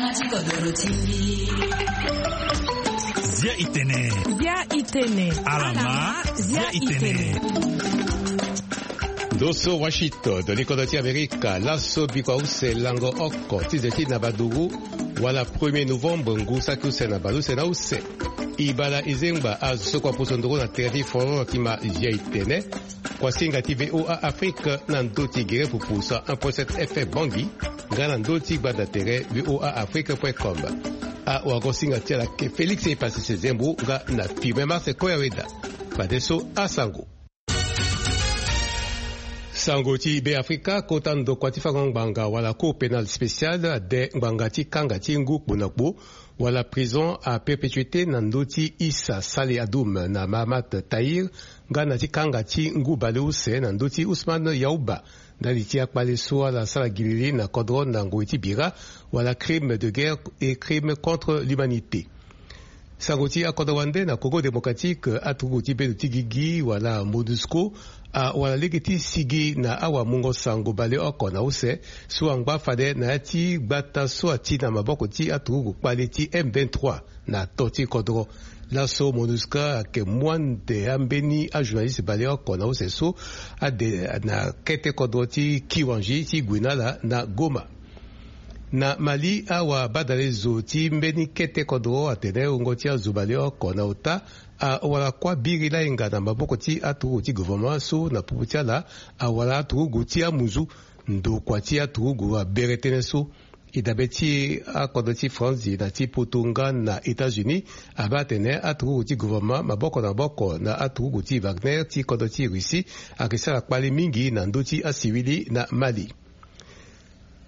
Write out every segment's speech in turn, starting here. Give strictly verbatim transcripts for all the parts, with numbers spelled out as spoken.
Zia itene. Zia itene. Alama. Zia itene. Ndo so Washington, likodro ti Amerika, laso bikua use lango oko ti ze ti na baduru, wala premier novembre ngu saki use na baleuse na use. E bala e zengba azo so kua poso nduru na tere ti foro na ti ma Zia itene. Kuasinga ti V O A Afrique na ndö ti gere pupu cent un point sept F M Bangui, nga na ndö ti gbanda tere V O A Afrique point com. Awagosinga ti ala ayeke Félix Epasese Zembo nga na Firmin Marse Koyaweda. Fadeso asango. Sango ti Be Afrika, kota ndokua ti fango ngbanga wala Cour pénale spéciale ade ngbanga ti kanga ti ngu kpo na kpo wala prison à perpétuité na ndö ti Issa Saleh Adoum na Mahamat Tahir, nga na ti kanga ti ngu baleuse na ndö ti Ousmane Yaouba, ndali ti akpale so ala sara gilili na kodro na ngoi ti bira, wala crime de guerre et crime contre l'humanité. Sango ti akodro wande, na Congo démocratique, aturugu ti bendo ti gigi wala MONUSCO awara lege ti sigi na awamungo sango baleoko na use so angba fade na ya ti gbata so ati na maboko ti aturugu kpale ti M vingt-trois na to ti kodro. Laso MONUSCO ayeke mu ande ambeni ajournaliste baleoko na use so ade na kete kodro ti Kiwanji ti gue na ala na Goma. Na Mali, awabadalezo ti mbeni kete kodro atene wungo ti azo baleoko na ota awara kuâ biri lainga na maboko ti aturugu ti gouvernement so na popo ti ala awara aturugu ti amuzu. Ndokua ti aturugu abere tënë so. E dabe ti akodro ti France na ti poto nga na États-Unis abaa atene aturugu ti gouvernement maboko na maboko na aturugu ti Wagner ti kodro ti Russie ayeke sara kpale mingi na ndö ti asiwili na Mali.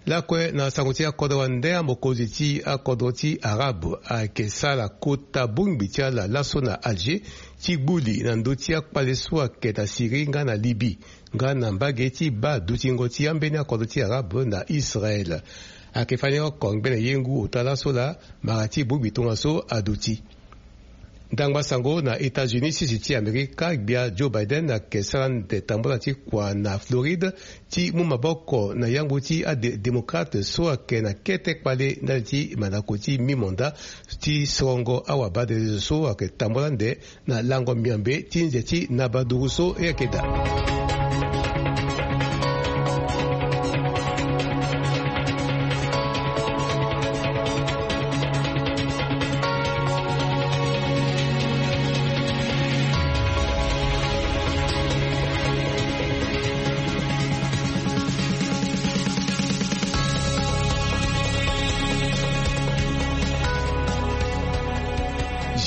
Lakue na sango ti akodro wande, amokonzi ti akodro ti Arabe ayeke sara kota bongbi ti ala laso na Alger ti gbu li na ndö ti akpale so ayeke na Syrie nga na Libye, nga na mbage ti baa dutingo ti ambeni akodro ti Arabe na Israël. Ayeke fani oko ngbene ye ngu ota laso laa mara ti bongbi tongaso aduti. Ndangba sango na États-Unis, sisi ti Amerika, gbia Joe Biden ayeke sara ande tambula ti kua na Floride ti mu maboko na yangbu ti adémocrate so ayeke na kete kpale ndali ti mandako ti mi-mandat ti sorongo awabadalezo so ayeke tambula ande na lango miombe ti nze ti nabaduru so e yeke daa.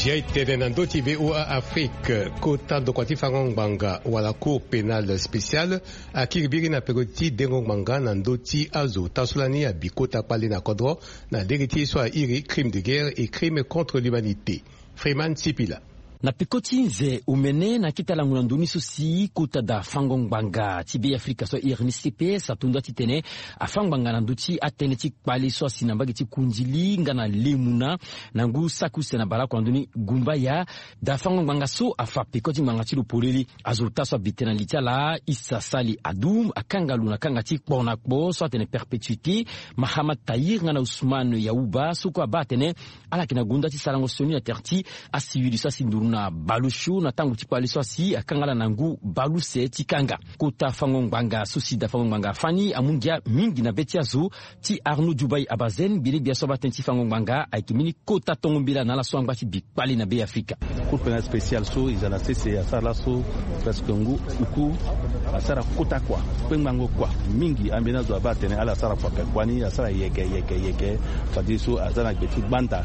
Zia e tene na ndö ti V O A Afrique, kota ndokua ti fango ngbanga wala Cour pénale spéciale akiri biri na peko ti dengo ngbanga na ndö ti azo ota so lani abi kota kpale na kodro na lege ti ye so airi crime de guerre et crime contre l'humanité. Freeman Sipila. Na peko ti nze omene na akete alango na ndoni so si kota da fango ngbanga ti Be Afrika so airi ni C P S ato nda titene afa ngbanga na ndö ti atënë ti kpale so asi na mbage ti Kundili nga na Lemuna na ngu saki use na baleoko na ndoni Gumbaya. Da fango ngbanga so afa peko ti ngbanga ti lo polele. Azo ota so abi tene na li ti ala, Issa Sali Adoum, akanga lo na kanga ti kpo na kpo so atene perpétuité, Mahamat Tahir nga na Ousmane Yaouba, so kue abaa atene ala yeke na gonda ti sarango sioni na tere ti asiwili so asi nduru na baleosio na tango ti kpale so asi akanga ala na ngu baleuse ti kanga. Kota fango ngbanga so si da fango ngbanga afa ni amu ngia mingi na be ti azo ti Arnaud Djoubaye Abazen, gbele-gbia so abaa tënë ti fango ngbanga, ayeke mbeni kota tongo mbela na ala so angba ti bi kpale na Be Afrika. Cour pénale spéciale so e za na sese asara laso presque ngu uku, asara kota kua, kpengbango kua mingi. Ambeni azo abaa atene ala sara kua, kua ni asara yeke, yeke, yeke. Fadeso aza na gbe ti gbanda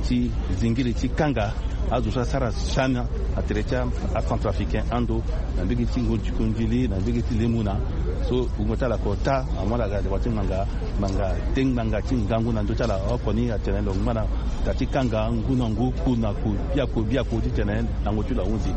ti zingiri ti kanga azo so asara siana na tere ti acentrafricain ando na mbege ti Kundili, na mbege ti Lemuna. So wungo ti ala oko ota amu ala ga na deba ti ngbanga, ngbanga te ngbanga ti ngangu na ndö ti ala oko ni atene lo ngba na da ti kanga ngu na ngu, ku na ku, biaku biaku titene lango ti lo ahunzi.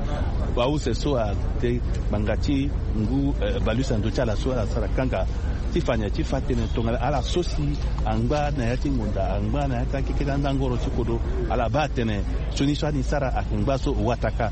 Baleuse so ate ngbanga ti ngu, eh, baleuse na ndö ti ala so ala sara kanga ti fa nyen? Ti fa tene tongana ala so si angba na ya ti ngonda, angba na ya ti akeke ti andangoro ti kodro, ala baa atene sioni so ani sara ayeke ngba so wataka,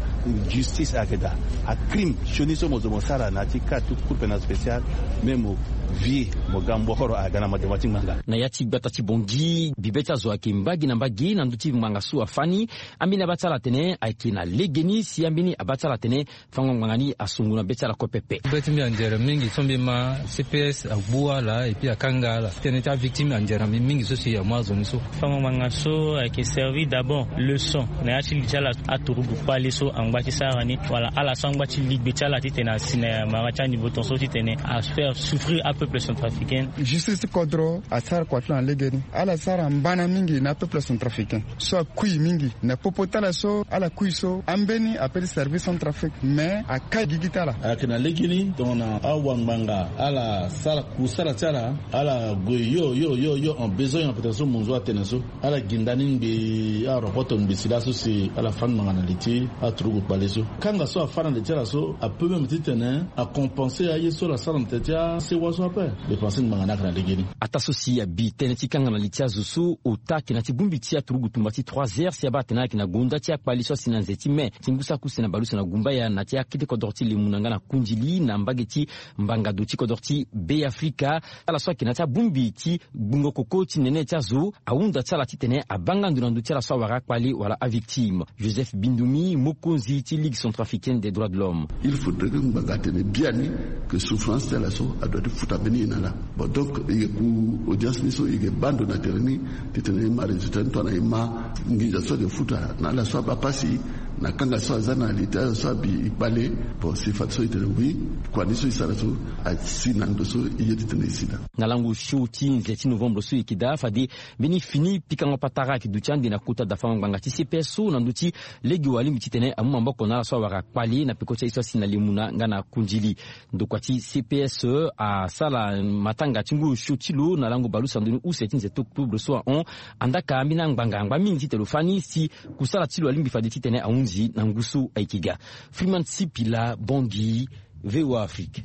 justice ayeke daa. Acrime sioni so mo zo mo sara na ya ti ka ti Cour pénale spéciale, me mo Vie mo ga mbohoro aga na madema ti ngbanga. Na ya ti gbata ti Bongi, bibe ti azo ayeke mbage na mbage na ndö ti ngbanga so afâ ni. Ambeni abaa ti ala atene ayeke na legeni si ambeni abaa ti ala atene fango ngbanga ni asungu na be ti ala kue pepe. Be ti mbi anzere mingi so mbi ma C P S agbu ala et puis akanga ala. Tënë ti avictime anzere na mbi mingi so si amu azo ni so. Fango ngbanga so ayeke servi d'abord leçon na ya ti li ti ala aturugu kpale so angba ti sara ni, wala ala so angba ti ligbe ti ala titene asi na mara ti anivo tongaso titene afaire souffrir apeuple centrafricain. Justice ti kodro asara kua ti lo na legeni. Ala sara mbana mingi na apeuple centrafricain so akui mingi na popo ti ala so ala kui so ambeni ape ti service centrafrique mais akai gigi ti ala. Ayeke na legeni tongana awangbanga ala sara kusala ti ala, ala gue yo yo yo yo en besogne na pete so monzo atene so. Ala gi nda ni ngbii, arokoto ngbii si laso si ala fâ ngbanga na li ti aturugu kpale so. Kanga so afâ na li ti ala so apeut même titene acompenser aye so ala sara na tene ti asewa so ape. Dépense ngbanga ni ayeke na legeni. Ataa so si abi tënë ti kanga na li ti azo so ota ayeke na ti bongbi ti aturugu tumba ti trois heures si abaa atene ayeke na gonda ti akpali so asi na nze ti mai ti ngu saki use na baleuse na gumbaya na ti akete kodro ti Lemuna nga na Kundili na mbage ti mbangado ti kodro ti Be Afrika. Ala so ayeke na ti abongbi ti gbungo koko ti nene ti azo ahunda ti ala titene abaa nga ndo na ndö ti ala so awara akpale wala avictime. Joseph Bindumi, mokonzi ti Ligue centrafricaine des droits de l'homme. Il faudrait que ngbanga atene biani que souffrance ti ala so adoit ti futa mbeni ye na ala. Bon, donc e yeke ku audience ni so e yeke baa ndo na tere ni titene e ma résultat ni tongana e ma nginza so ayeke futa na ala so abaa pasi na kanga so aza na li ti azo so abi e kpale. Bon, si fade so e tene oui, kua ni so e sara so asi na ndo so e ye titene e si daa. Na lango show ti nze ti novembre so e yeke daa, fade mbeni fini pikango patara ayeke duti ande na kota dafango ngbanga ti C P S so na ndö ti lege wa alingbi titene amu maboko na ala so awara kpale na peko ti aye so asi na Lemuna nga na Kundili. Ndokua ti C P S asara matanga ti ngu osio ti lo na lango baleuse na ndoni use ti nze ti octobre so ahon. Andaka ambeni angbanga angba mingi titene lo fâ ni si kusala ti lo alingbi fade titene ahunzi na ngu so ayeke ga. Freeman Sipila, Bangui, V O A Afrique.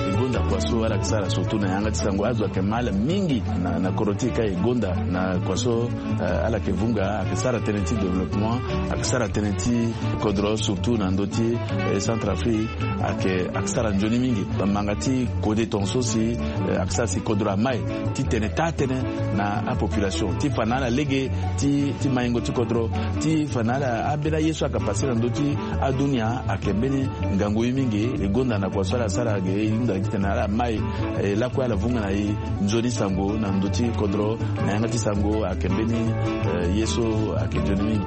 E gonda kua so ala yeke sara surtout na yanga ti sango, azo ayeke ma ala mingi na, na kodro ti e ka e gonda na kua so, eh, ala yeke vunga, ayeke sara tënë ti développement, ayeke sara tënë ti kodro surtout na ndö ti, eh, Centrafrique, ayeke, ayeke sara nzoni mingi. Manga ti kode tongaso si, eh, ayeke sara si kodro amai titene taa tënë na apopulation ti fa na ala lege ti, ti maingo ti kodro, ti fa na ala ambeni aye so ayeke pase na ndö ti adunia ayeke mbeni ngangu ye mingi. E gonda na kua so ala sara ge e hunda titene ala mai, eh, lakue ala vunga na e nzoni sango na ndö ti kodro na yanga ti sango ayeke mbeni, eh, ye so ayeke nzoni mingi.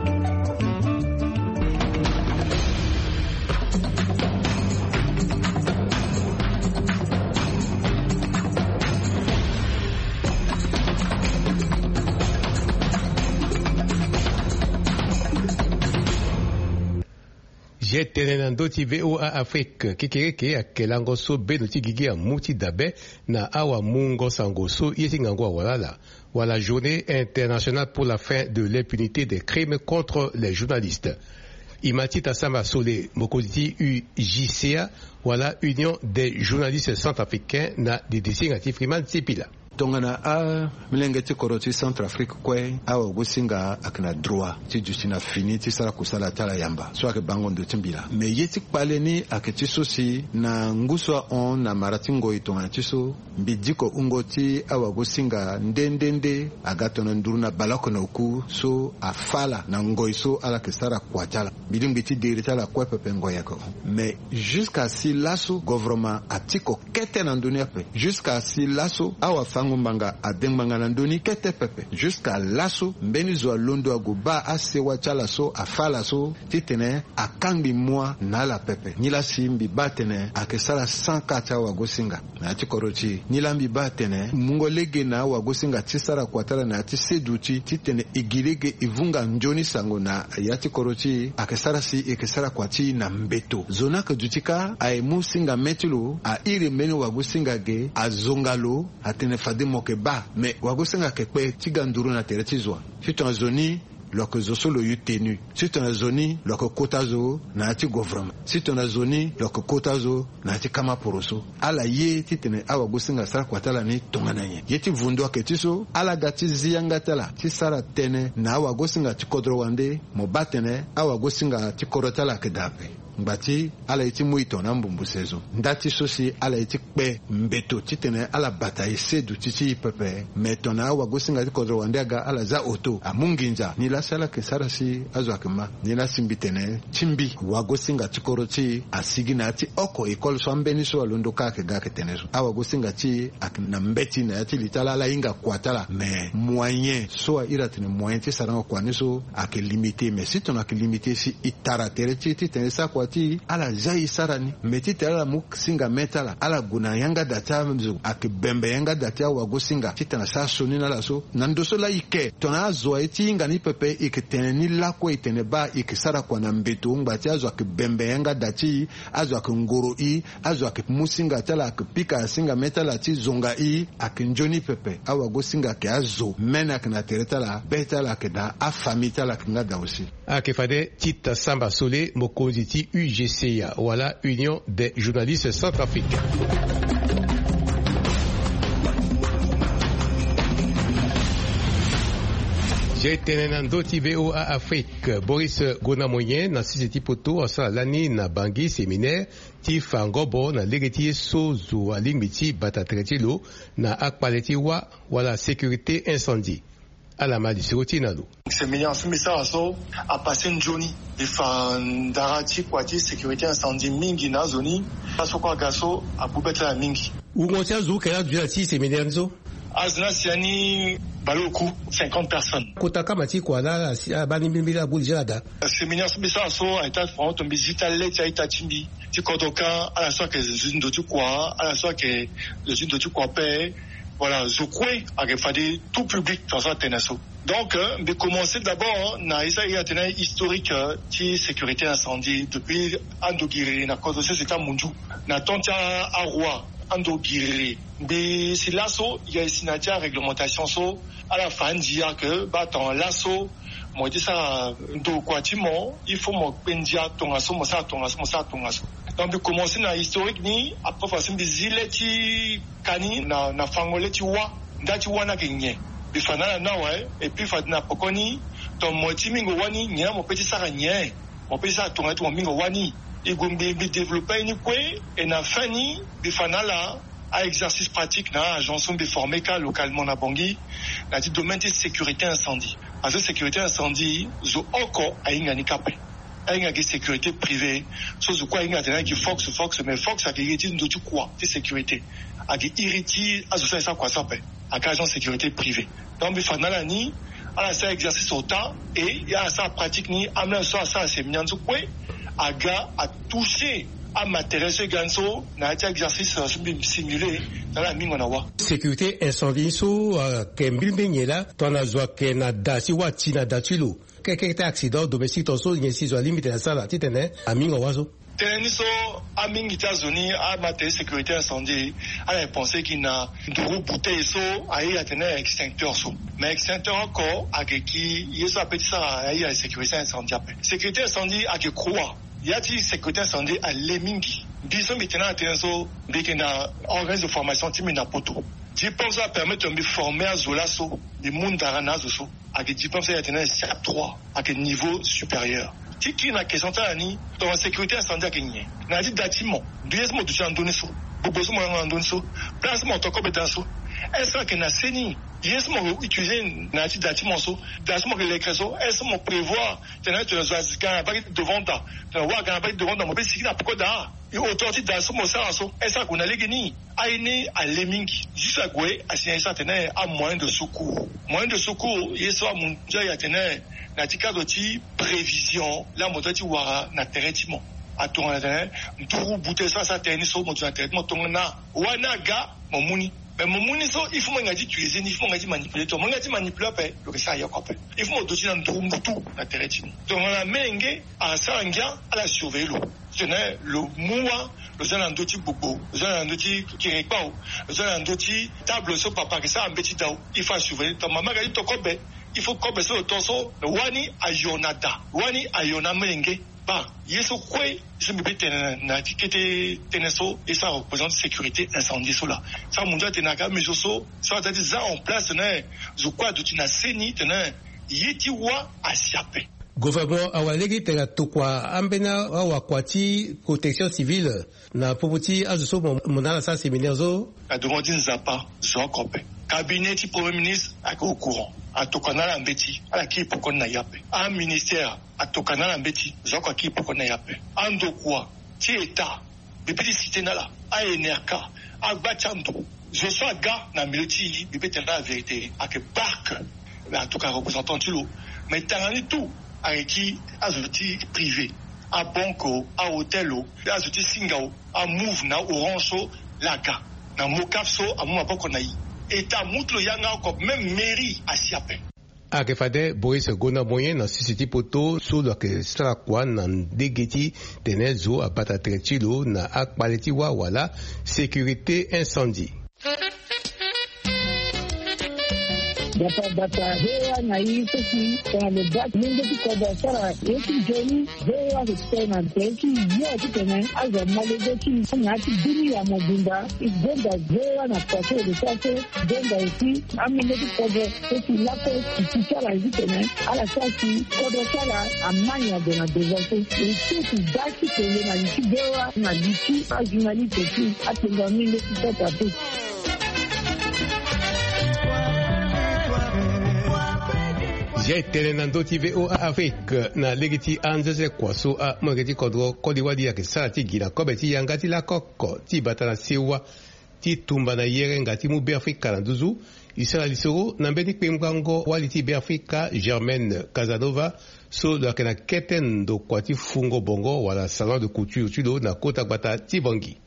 Ye tene na ndö ti V O A Afrique, kekereke ayeke lango so bendo ti gigi amu ti dabe na awamungo sango so ye ti ngangu awara ala, wala Journée internationale pour la fin de l'impunité des crimes contre les journalistes. E ma ti Tasama Sole, mokonzi ti U J C A, wala Union des journalistes centrafricains, na didisinga ti Freeman Sipila. Tongana amilenge ti kodro ti Centrafrique kue, awagosinga ayeke na droit ti duti na fini ti sara kusala ti ala yamba so ayeke bango ndo ti mbila. Me ye ti kpale ni ayeke ti so si na ngu so ahon na mara ti ngoi tongana ti so, mbi diko wungo ti awagosinga nde nde nde aga tongana nduru na baleoko na oku so afâ ala na ngoi so ala yeke sara kua ti ala. Mbi lingbi ti diri ti ala kue pepe, ngoi ayeke hon. Me jusqu'à si laso govoroma atiko kete na ndö ni ape. Jusqu'à si laso awafango-ngbanga ade ngbanga na ndö ni kete pepe. Jusqu'à laso mbeni zo alondo ague baa asewa ti ala so afâ ala so titene akangbi mua na ala pepe. Nilaa si mbi baa atene ayeke sara sans cas ti awagosinga na ya ti kodro ti e. Nilaa mbi baa atene mungo lege na awagosinga ti sara kua ti ala na ya ti seduti titene e gi lege e vunga nzoni sango na ya ti kodro ti e ayeke sara si e yeke sara kua ti e na mbeto. Zo ni ayeke duti kâ, aye mu singa mê ti lo, a iri mbeni wagosinga ge, azonga lo, atene fade mo yeke baa. Me wagosinga ayeke kpe ti ga nduru na tere ti zo wa? Si tongana zo ni, lo yeke zo so lo yu tenu. Si tongana zo ni, lo yeke kota zo na ya ti govoroma. Si tongana zo ni, lo yeke kota zo na ya ti kama poroso. Ala ye titene awagosinga asara kua ti ala ni tongana nyen? Ye ti vundu ayeke ti so, ala ga ti zi yanga ti ala ti sara tënë na awagosinga ti kodro wande. Mo baa atene awagosinga ti kodro ti ala ayeke daa ape. Ngba ti ala ye ti mu e tongana ambumbu sezo. Nda ti so si ala ye ti kpe mbeto titene ala bata e seduti ti e pepe. Me tongana awagosinga ti kodro wande aga ala za oto amu nginza. Nilaa si ala yeke sara si azo ayeke ma. Nilaa si mbi tene ti mbi wagosinga ti kodro ti e asigi na ya ti oko école so ambeni so alondo kâ ayeke ga ayeke tene so. Awagosinga ti e ayeke na mbeti na ya ti li ti ala ala hinga kua ti ala. Me moyen so a iri atene moyen ti sarango kua ni so ayeke limité. Me si tongana ayeke limité si e tara tere ti e titene e sara kua ti e, ala za e sara ni. Me titene ala mu singa me ti ala, ala gue na yanga da ti azo ayeke bembe yanga da ti awagosinga titene asara sioni na ala so. Na ndo so laa e yeke tongana azo aye ti hinga ni pepe, e yeke tene ni lakue, e tene baa e yeke sara kua na mbeto ngba ti azo ayeke bembe yanga da ti e, azo ayeke ngoro e, azo ayeke mu singa ti ala, ayeke pika singa me ti ala ti zonga e, ayeke nzoni pepe. Awagosinga ayeke azo mene ayeke na tere ti ala, be ti ala ayeke daa, afamille ti ala ayeke nga daa aussi. Ayeke fade Tite Samba Sole, mokonzi ti U G C A, wala Union des Journalistes Centrafricains. Zia e tene na ndö ti V O A Afrique, Boris Gonamoyen na sese ti poto asara lani na Bangui séminaire ti fa ngobo na lege ti ye so zo alingbi ti bata tere ti lo na akpale ti wâ wala sécurité incendie. Ala ma lisoro ti e na lo. Séminaire so mbi sara so apassé nzoni. Mbi fa ndara ti kua ti sécurité incendie mingi na azo ni. Aso kue aga so agbu be ti ala mingi. Wungo ti azo oke la aduti na ti séminaire ni so? Azo ni asi ya ni baleoku, cinquante personnes. Kota kama ti kua la asi abaa ni mbilimbili, ala gbu déjà na da. Séminaire so mbi sara so ayeke ti afango tongana mbi zi ti ale ti a-ita ti mbi ti kodro kâ, ala so ayeke zo ti ndo ti kua, ala so ayeke zo ti ndo ti kua ape. Voilà, zo kue ayeke fade tout public tongana so atene so. Donc, euh, mbi commencé d'abord na ye so a iri atene historique, euh, ti sécurité incendie depuis ando giriri na kodro sese ti amunzu. Na temps ti a-, aroi ando giriri. Mbi si laso, e si na ya ti aréglementation so, ala fa andia ke baa tongana laso mo ye ti sara ndokua ti mo, il faut mo kpe ndia tongaso, mo sara tongaso, mo sara tongaso. Donc mbi commencé na historique ni, après fa si mbi zi le ti ka ni na, na fango le ti wâ. Nda ti wâ ni ayeke nyen? Mbi fa na ala ni awe, et puis fade na pekoni, tongana mo ye ti mingo wâ ni, nyen laa mo peut ti sara nyen? Mo peut ti sara tongana ti mo mingo wâ ni. E gue mbi, mbi développé aye ni kue, et na fin ni, mbi fa na ala a-exercice pratique na a-agent so mbi formé kâ localement na Bangui, na ya ti domaine ti sécurité incendie. Parce que sécurité incendie, zo oko ahinga ni kâ ape. Ahinga gi sécurité privée, so zo kue ahinga atene ayeke gi Fox, Fox, mais Fox ayeke iri ti ndo ti kua ti sécurité. Ayeke iri ti azo so ayeke sara kua so ape. Ayeke agent sécurité privée. Donc mbi fa na ala ni, ala sara exercice ota, et ala sara pratique ni, amolenge so asara séminaire ni so kue aga atouché amatériel so e ga ni so na ya ti exercice so mbi simulé na ala mingo na wâ. Sécurité incendie ni so, euh, ayeke mbilimbili nyen laa, tongana zo ayeke na da ti wâ, ti na da ti lo? Keke ti accident domestique tongaso nyen si zo alingbi tene asara titene amingo wâ so? Tënë ni so, amingi ti azo ni ama tene sécurité incendie, ala ye pensé gi na nduru bouteille so a iri atene extincteur so. Mais extincteur oko ayeke gi ye so apeut ti sara a iri sécurité incendie ape. Sécurité incendie ayeke croix. Ya ti sécurité incendie ale mingi. Mbi so mbi tene ala tënë so, mbi yeke na organisme de formation ti mbi na poto. Diplôme so apermettre mbi former azo laso, mbi mu ndara na azo so. Ayeke diplôme so e atene siap trois, ayeke niveau supérieur. Ti kiri na question ti ala ni, tongana sécurité incendie ayeke nyen? Na ya ti da ti mo, mbi ye so mo duti na ndö ni so, gbogbo so mo yanga na ndö ni so, place so mo to kobe da so, est-ce que ayeke na seni? Ye so mo utilisé na ya ti da ti mo so, da so mo yeke lekre so, est-ce que mo prévoir tene tongana zo aga na bâ ti devant da, tongana wâ aga na bâ ti devant da, mo peut sigi na peko da? E hauteur ti da so mo sara so, est-ce que ague na lege ni? Aye ni ale mingi. Juste ague asi na ye so atene amoyen de secours. Moyen de secours, ye so amunzu aye atene na ya ti cadre ti prévision, laa mo doit ti wara na tere ti mo. Atongana tene nduru bute so asara tere ni so, mo duti na tere ti mo, tongana wâ ni aga, mo mu ni. Mais mo mu ni so, il faut mo hinga ti utiliser ni, il faut mo hinga ti manipuler. Tongana mo hinga ti manipuler ape, lo yeke sara yoko ape. Il faut mo duti na nduru mbutu na tere ti mo. Tongana molenge asara ngia, ala surveiller lo. Titene lo mu wâ, lo za na ndö ti gbogbo, lo za na ndö ti kiri kpau, lo za na ndö ti table so papa ayeke sara mbeti dau, il faut asurveiller. Tongana mama ayeke ti to kobe, il faut kobe so lo to so, wâ ni ayo na da, wâ ni ayo na molenge. Baa ye so kue, ye so mbi peut tene na ya ti kete tënë so, ye so areprésente sécurité incendie so laa. So amunzu atene aga mesure so, so aza ti za en place titene zo kue aduti na seni titene ye ti wâ asi ape. Gouvernement awara lege ti tene atokua ambeni awakua ti protection civile na popo ti azo so mo na ala sara séminaire so. Na devant ti Nzapa zo oko ape. Cabinet ti premier ministre ayeke au courant, atokua na ala mbeti, ala kiri poko ni na ye ape. Aministère atokua na ala mbeti, zo oko akiri poko ni na ye ape. Andokua ti état, mbi peut ti citer na ala, a N R K, agba ti ando, zo so aga na milieu ti e, mbi peut tene na ala vérité, ayeke barke. Mais en tout cas représentant ti lo. Mais tanga ni tout ayeke ti azo ti privé, abanque o, ahôtel o, azo ti singa o, amove na Orange so la aga na Mocaf so amu maboko na e. État amu ti lo yanga oko, même mairie asi ape. Ayeke fade Boris Gonda Moyen na sese ti poto so lo yeke sara kua na ndege ti tene zo abata tere ti lo na akpale ti wâ wala sécurité incendie. Gbata gbata V O A na e so si tongana lo baa lenge ti kodro asara ye ti nzoni, V O A ayeke tene na tere ti yo titene azo amolenge ti e na ya ti bini ya mobimba. E gonda V O A na kua so e lo sara so. Gonda aussi amolenge ti kodro so si lakue e ti ti ala titene ala sara si kodro ti ala ama nyen ague na devant so. E ti e ti baa ti tene na li ti V O A na li ti ajournaliste ti akpengba mingi ti sota pe. Zia e tene na ndö ti V O A Afrique na lege ti anzenze kua so amolenge ti kodro koli wali ayeke sara ti gi na kobe ti yanga ti lakoko ti bata na sewa ti tumba na yerenga ti mu Beafrika na nduzu. E sara lisoro na mbeni kpengbango wali ti Beafrika Germaine Casanova so lo yeke na kete ndokua ti fungo bongo wala salon de couture ti lo na kota gbata ti Bangui.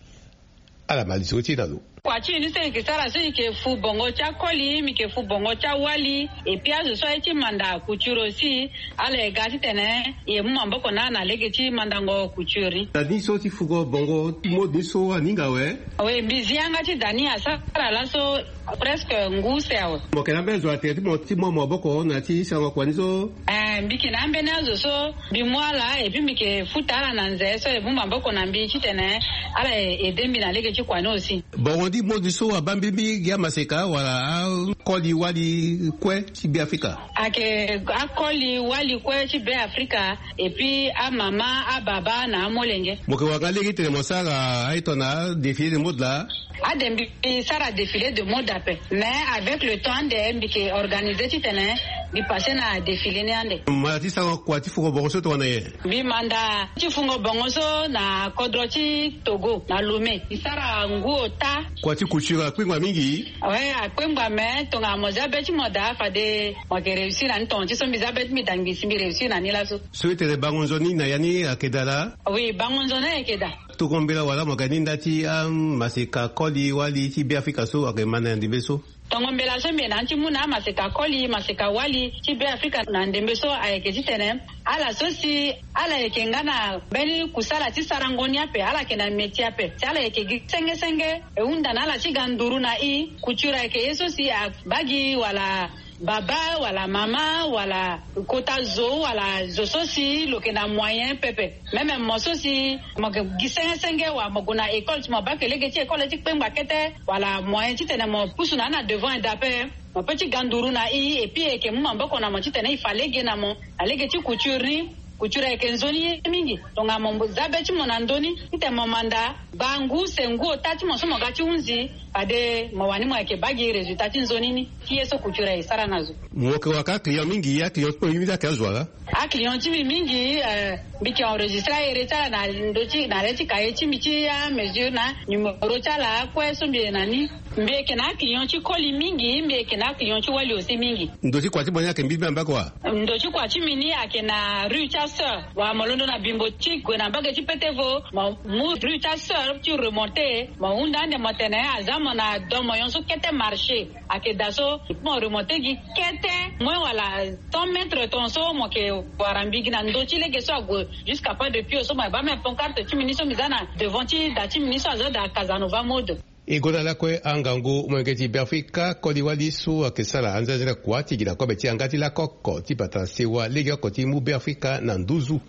Ala ma lisoro ti e na lo. Kua ti e ni so e yeke sara so e yeke fu bongo ti akoli, mbi yeke fu bongo ti awali, et puis azo so aye ti manda couture aussi. Ala e ga titene e mu maboko na ala na lege ti mandango couture ni. Da ni so ti fugo bongo mode ni so aninga awe? Oui, mbi zi yanga ti da ni asara laso presque ngu se awe. Mo yeke na ambeni zo na tere ti mo ti mu maboko na ya ti sarango kua ni so? Eh, mbi yeke na ambeni azo so mbi mu ala et puis mbi yeke futa ala na nze so e mu maboko na mbi titene ala e aide mbi na lege ti kua ni aussi. Bongo ni mode so abaa mbi gi amaseka wala akoli wali kue ti Beafrika? Ayeke akoli wali kue ti Beafrika, et puis amama, ababa na amolenge. Mo yeke wara nga lege titene mo sara aye tongana défilé de mode laa? Ade, mbi sara défilé de mode ape, mais avec le temps ande mbi yeke organisé titene mbi passé na défilé ni ande. Manda ti sarango kua ti fungo bongo so tongana nyen? Mbi manda ti fungo bongo so na kodro ti Togo na Lomé. Mbi sara ngu ota. Kua ti couture akpengba mingi? Oui, akpengba, mais tongana mo za be ti mo daa fade mo yeke réussir na ni. Tonga ti so mbi za be ti mbi daa, mbi si mbi réussir na ni laso. So e tene bango nzoni na ya ni ayeke daa laa? Oui, bango nzoni ayeke daa. Tongo mbela wala mo yeke na ni nda ti amaseka koli wali ti Beafrika so ayeke ma na ya ndembe so? Tongo mbela so mbi yeke na ni ti mu na amaseka koli, maseka wali ti Beafrika na ndembe so ayeke titene ala so si ala yeke nga na mbeni kusala ti sarango ni ape, ala yeke na métier ape, si ala yeke gi senge senge, e hunda na ala ti ga nduru na e. Couture ayeke ye so si abaa gi wala baba wala mama wala kota zo wala zo so si lo yeke na moyen pepe. Même mo so si mo yeke gi senge senge wala mo gue na école, si mo baa ke lege ti école ti kpengba kete wala moyen titene mo pusu na ni na devant eda ape, mo peut ti ga nduru na e, et puis e yeke mu maboko na mo titene e fa lege na mo na lege ti couture ni. Couture ayeke nzoni ye mingi. Tongana mo za be ti mo na ndö ni titene mo manda, baa ngu se ngu ota ti mo so mo ga ti hunzi, fade mo wani mo yeke baa gi résultat ti nzoni ni ti ye so couture aye sara na zo. Mo yeke wara ka aclient mingi, aclient ti mo mingi ayeke azo wala? Aclient ti mbi mingi, eh, mbi yeke enregistré ahere ti ala na ndö ti, na le ti cahier ti mbi ti amesure na numéro ti ala kue so mbi yeke na ni. Mbi yeke na aclient ti koli mingi, mbi yeke na aclient ti wali aussi mingi. Ndo ti kua ti mo ni ayeke mbirimbiri na mbage wa? Ndo ti kua ti mbi ni ayeke na rue ti asœur. Wala mo londo na bimbo ti gue na mbage ti Petevo, mo mu rue ti asœur ti remonté, mo hunda ande mo tene aza mo na domo nyon so kete marché. Ayeke daa so mo remonté gi kete moins wala cent mètres tongaso mo yeke wara mbi gi na ndö ti lege so ague jusqu'à Pas de Pio so mo yeke baa même pancarte ti mbi ni so mbi za na devant ti da ti mbi ni so aza da Casanova Mode. E gonda lakue angangu molenge ti Beafrika koli wali so ayeke sara anzenze na kua ti gi na kobe ti yanga ti lakoko ti bata sewa legeoko ti mu Beafrika na nduzu.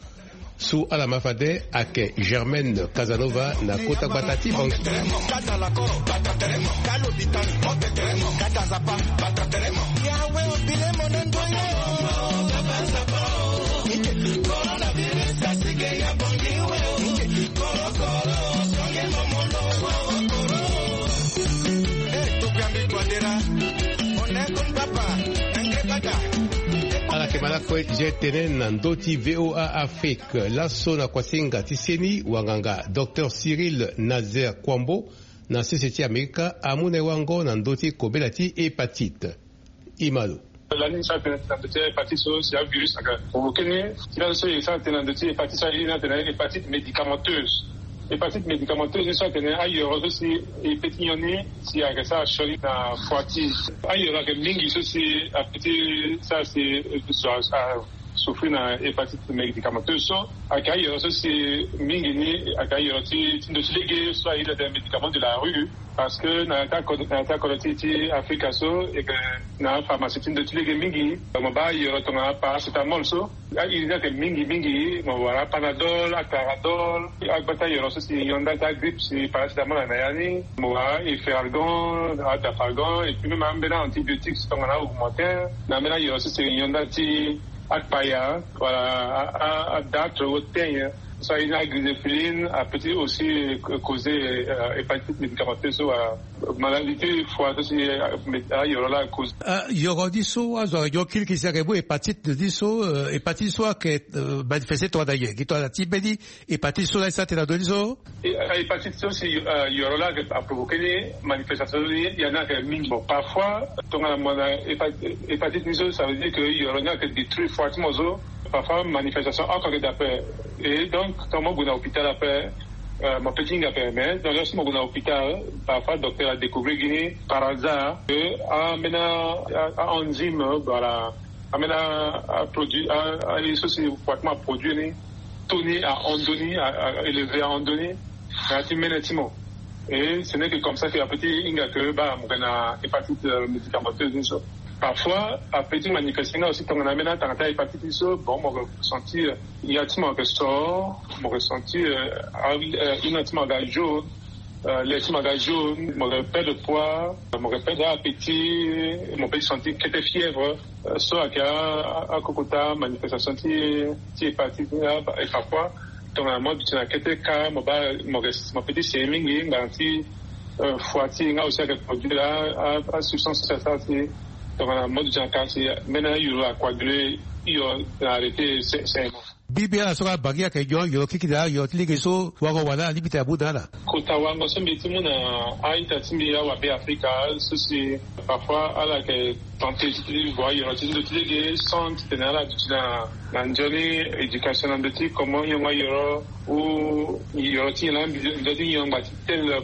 So ala ma fade ayeke Germaine Casanova na kota gbata ti Bangui. Malako e je tene na ndö ti VOA Afrique laso na kuasinga ti seni wanganga Docteur Cyril Nazaire Kouambo na sese ti Amerika amu na e wango na ndö ti kobela ti hépatite. Imalo. Lani sa tene na ndö ti hépatite so si avirus aga provoqué ni. Ti la so e sa tene na ndö ti hépatite so aye ni atene hépatite médicamenteuse. Hépatite médicamenteuse ni so atene ayoro so si e pe ti nyon ni si ayeke sara sioni na foi ti e. Ayoro ayeke mingi so si ape ti sara si zo asouffrir na hépatite médicamenteuse so ayeke ayoro so si mingi ni ayeke ayoro ti ti ndo ti lege so aye ti atene médicament de la rue. Parce que na ya ti akodro na ya ti akodro ti ti Afrika so e yeke na apharmacie ti ndo ti lege mingi. Mo baa ayoro tongana paracétamol so. Airi ni ayeke mingi mingi, mo wara apanadol, aclaradol. Agba ti ayoro so si e nyon nda ti agrippe si paracétamol ayeke na ya ni. Mo wara efferalgan, adafalgan, et puis même ambeni aantibiotique tongana augmentin. Na ambeni ayoro so si e nyon nda ti akpaya wala a- a- adatre ou teigne. So aye ni agriséphiline ape ti aussi causer hépatite médicamenteuse so wala maladie ti foi so si ayoro laa cause. Yoro ni so azo ayeke nyon kirikiri si ayeke mu hépatite ni so. Hépatite ni so ayeke manifeste tongana nyen gi tongana ti mbeni hépatite so laa e sa tene na ndö ni so? Hépatite so si yoro laa ayeke aprovoqué ni manifestation ni ya ni ayeke mingi. Bon, parfois tongana mo na hépatite ni so ça veut dire que yoro ni ayeke détruire foi ti mo so. Parfois manifestation oko ayeke daa ape. Et donc tongana mo gue na hôpital ape, mo pe ti hinga ape mais tongana so mo gue na hôpital, parfois docteur adécouvrir gi ni par hasard que ambeni a enzyme wala ambeni aproduit aye so si foi ti mo aproduire ni, taux ni ahon ndö ni, a élevé ahon ndö ni na ya ti mene ti mo. Et ce n'est que comme ça que ape ti hinga que baa mo yeke na hépatite médicamenteuse ni so. Parfois ape ti manifester nga aussi tongana ambeni atanga ti ahépatite ni so. Bon, mo yeke sentir ya ti mo ayeke soro, mo yeke sentir hino ti mo aga jaune, le ti mo aga jaune, mo yeke perdre poids, mo yeke perdre appétit, mo pe ti sentir kete fièvre. So ayeke akokota manifestation ti ti hépatite ni. Et parfois tongana mo duti na kete cas mo baa mo yeke mo pe ti sere mingi ngbanga ti foi ti e nga aussi ayeke produire asubstance ti asara ti tongana mo duti na cas si mbeni ayuru acoaguler hio na arrêter saignement. Mbi mbi ala so ka bangi ayeke nyon yoro kiki na ayoro ti lege so wango wala alingbi ti amu na ala. Kota wango so mbi ti mu na a-ita ti mbi awabe afrika so si parfois ala yeke tenter ti vo ayoro ti ndo ti lege sans titene ala duti na na nzoni éducation na ndo ti comment yongo ayoro ou yoro ti nyen laa mbi nzoni yongo ti tel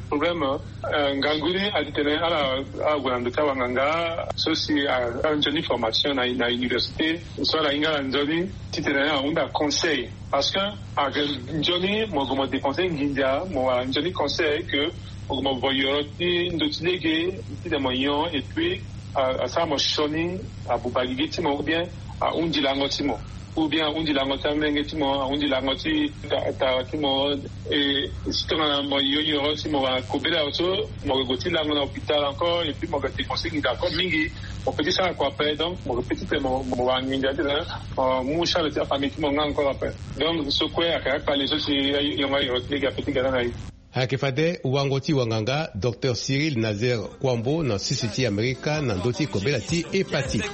problème. Ngangu ni adi tene ala ague na ndo ti awanganga so si ala nzoni formation na université so ala hinga ala nzoni titene ahunda conseil. Parce que ayeke nzoni mo gue mo dépenser nginza mo wara nzoni conseil que mo gue mo vo yoro ti ndo ti lege titene mo nyon et puis asara mo sioni abuba gigi ti mo ou bien ahundi lango ti mo ou bien ahundi lango ti amenge ti mo ahundi lango ti tara ti mo. Et si tongana mo yo nyoro si mo wara kobela so mo yeke gue ti lango na hôpital encore et puis mo yeke dépenser nginza encore mingi. Mo pe ti sara kua ape donc mo yeke pe ti tene mo wara nginza ti tene mo mu charge ti afamille ti mo nga encore ape. Donc so kue ayeke akpale so si yongo ayoro ti lege ape ti gana na ye. Ayeke fade wango ti wanganga docteur Cyril Nazaire Kouambo na sisi ti Amerika na ndö ti kobela ti hépatite.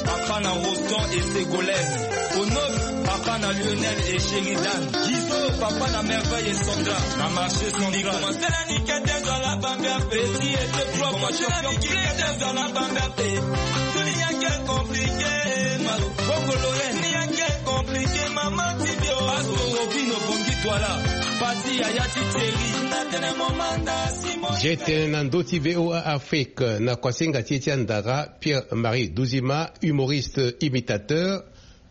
Papa na Rosan et Ségolène. Onot, papa na Lionel et Sheridan. Gizo, papa na Merveille et Sandra. Na marché central. Petit et deux, trois, trois, champion. Bongo Lorraine. Compliqué, maman, ti bio. Paso, Robino, Bongi, Twala. Pati, Yaya, ti Thierry. Je tene na ndö ti VOA Afrique na kuasinga ti e ti andara Pierre Marie Duzima, humoriste imitateur,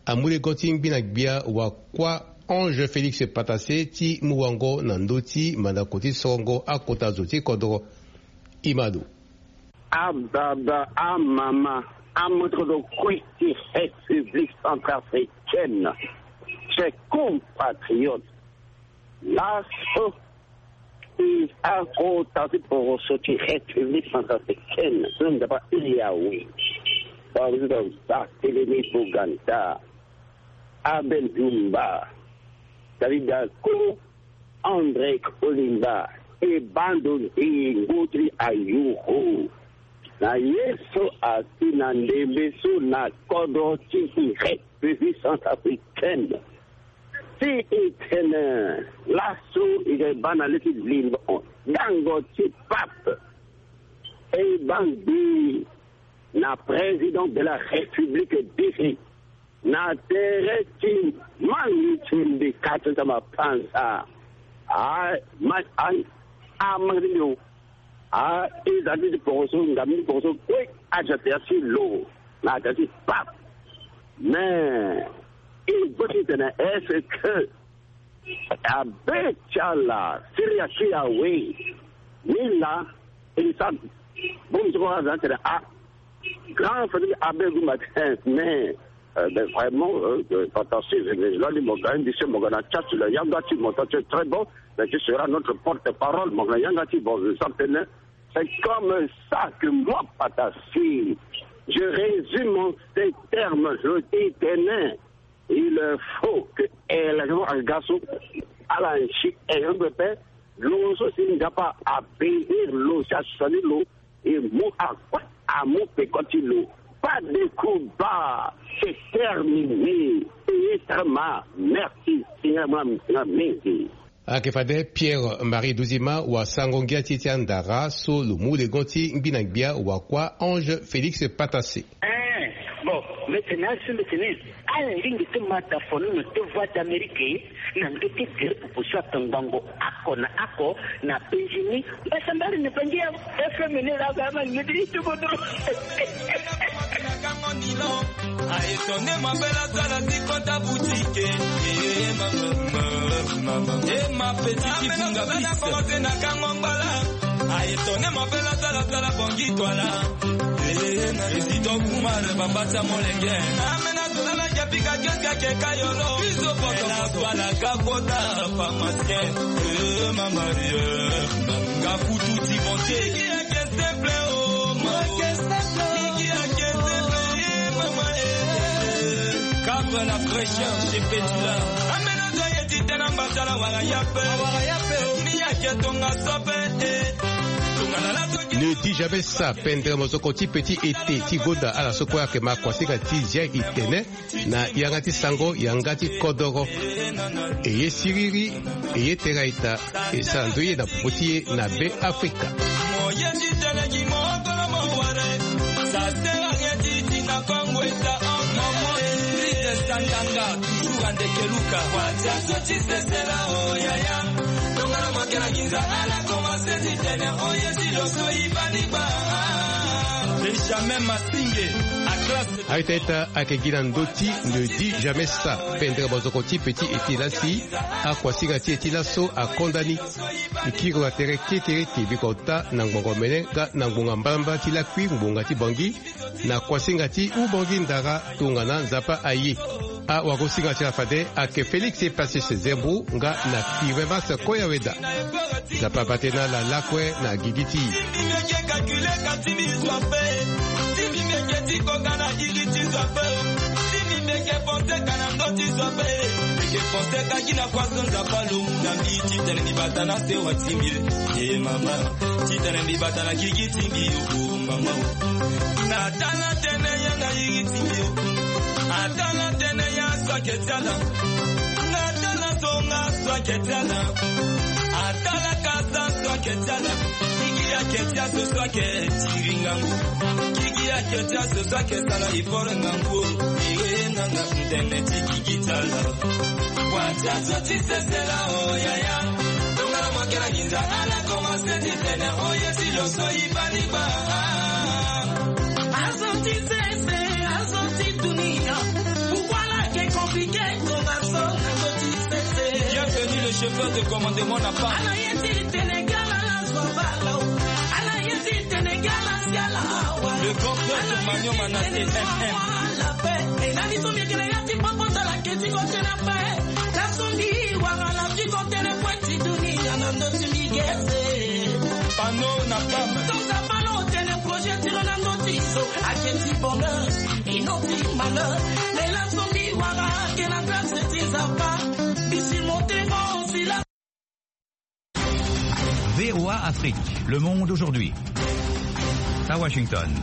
amu lego ti ngbi na gbia wakua Ange Félix Patassé ti mu wango na ndö ti mandako ti sorongo akota zo ti kodro. Imado. Ababa, amama, amotrodo kue ti République centrafricaine, chers compatriotes. Laso e akota ti poroso ti République centrafricaine so nzapa Yawe, président Barthélemy Boganda, Abel Dumba, David Dako, André Kolimba, e bando ndengo ti ayoro. na ye so asi na ndembe so na kodro ti République centrafricaine. Si e tene laso e ga e baa na le ti limbo gango ti pape, e baa ngbii na président de la République disi na tere ti mangi ti mbi kati ti mapanza. A ma a a mangi ti mbi o. A e za ti ti poroso ngam ti poroso kue aja tere ti lo na tere ti pape. Mais e boti tene est-ce que abe ti ala Syria ti awe ni la? E sa bongbi ti kua aza tene a grand frère ti abe gumba ti mais euh, ben, vraiment euh, euh, fantastique. Lani mo ga indi se mo ga na chat la yanga ti mo ta très bon. Mais tu seras notre porte-parole mo ga na yanga ti bon. Ça tene c'est comme ça que moi Patasi je résume en ces termes. Je dis tene il faut que élection aga so ala nsi élection pepe. Lo so si Nzapa abénir lo si asani lo e mu akue amu peko ti lo. Pas de combat, c'est terminé. Payé très mal. Merci Seigneur, moi mingi. Ayeke fade Pierre Marie Duzima wa sango ngia ti e ti andara so lo mu lengo ti ngbi na gbia wa kuâ Ange Félix Patase. Eh, bon, mbi tene asi mbi tene ala lingbi ti mata fono na te Voix d'Amérique na ndö ti gere popo so atongbango ako na ako na Benjini. Mbasambari na bangi ya F M ni la ga ma ni ti tubo dro. Aye tone mabela zala ti kota boutique. Eh, mama, mama, mama. Eh, ma petite, amena finga bana bise. Commencé na kango mbala. Aye tone mabela zala zala bongi twala. Eh, na président Kumar bamba tia molenge. Amena zala na japika keska ke kayolo. Biso poto la twala kakota pharmacien. Eh, mama, eh, nga kutu ti bonte. Kabra la fraîcheur chez Petula. Ne dis jamais ça, pendere mozoko ti petit ete ti gonda ala so kue ayeke ma kuasinga ti zia itene na yanga ti sango yanga ti kodoro. E ye siriri, e ye tera ita. E sara ndoye na popo ti e na Be Afrika. Benjamin Masinge, a classe. Aita ita ayeke gi na ndö ti ne dis jamais ça, pendere mozoko ti petit ete lasi, akuasinga ti e ti laso akonda ni. E kiri lo na tere kekereke biko ota na ngbongo mene nga na ngbonga mbalambala ti lakui ngbonga ti Bangui, na kuasinga ti Ubangui ndara tongana Nzapa aye. Awagosinga ti ala fade ayeke Félix Patase Zembo nga na Curé Max Koyaweda. Nzapa abaa tënë na ala lakue na gigi ti e. Atala tene ya na yiri ti mbi o. Atala tene ya so ake ti ala. Atala so nga so ake ti ala. Atala kasa so ake ti ala. Kiki ake ti aso so ake tiri ngangu. Kiki ake ti aso so ake sala effort ngangu o. Ire nanga ntene ti kiki ti ala. Wa ti aso ti sesela o yaya. Tongana mo yeke na nginza ala commencé ti tene o ye ti lo so e baa ni gbaa. Azo ti sese, azo ti dunia. Pourquoi la ke compliqué, tongaso na zo ti sese. Bienvenue le chauffeur de commandement na pas. Ala ye ti tene gi ala la zo bala o. Ala ye ti tene gi ala si ala awa. Le grand frère de Magnon Manassé, M M. Ala pe, e na ni so mbi yeke na ya ti popo tala ke ti ko tene pe. Ka so mbi wara la ti ko tene kue ti dunia na ndö ti mbi gese. Pano na pam. Tonga balo tene projet ti lo na ndö ti so. Ake ti bonheur, ino ti malheur. Me laso mbi wara ake na grâce ti Nzapa. Mbi surmonté mo si la. V O A Afrique, le monde aujourd'hui. Na Washington.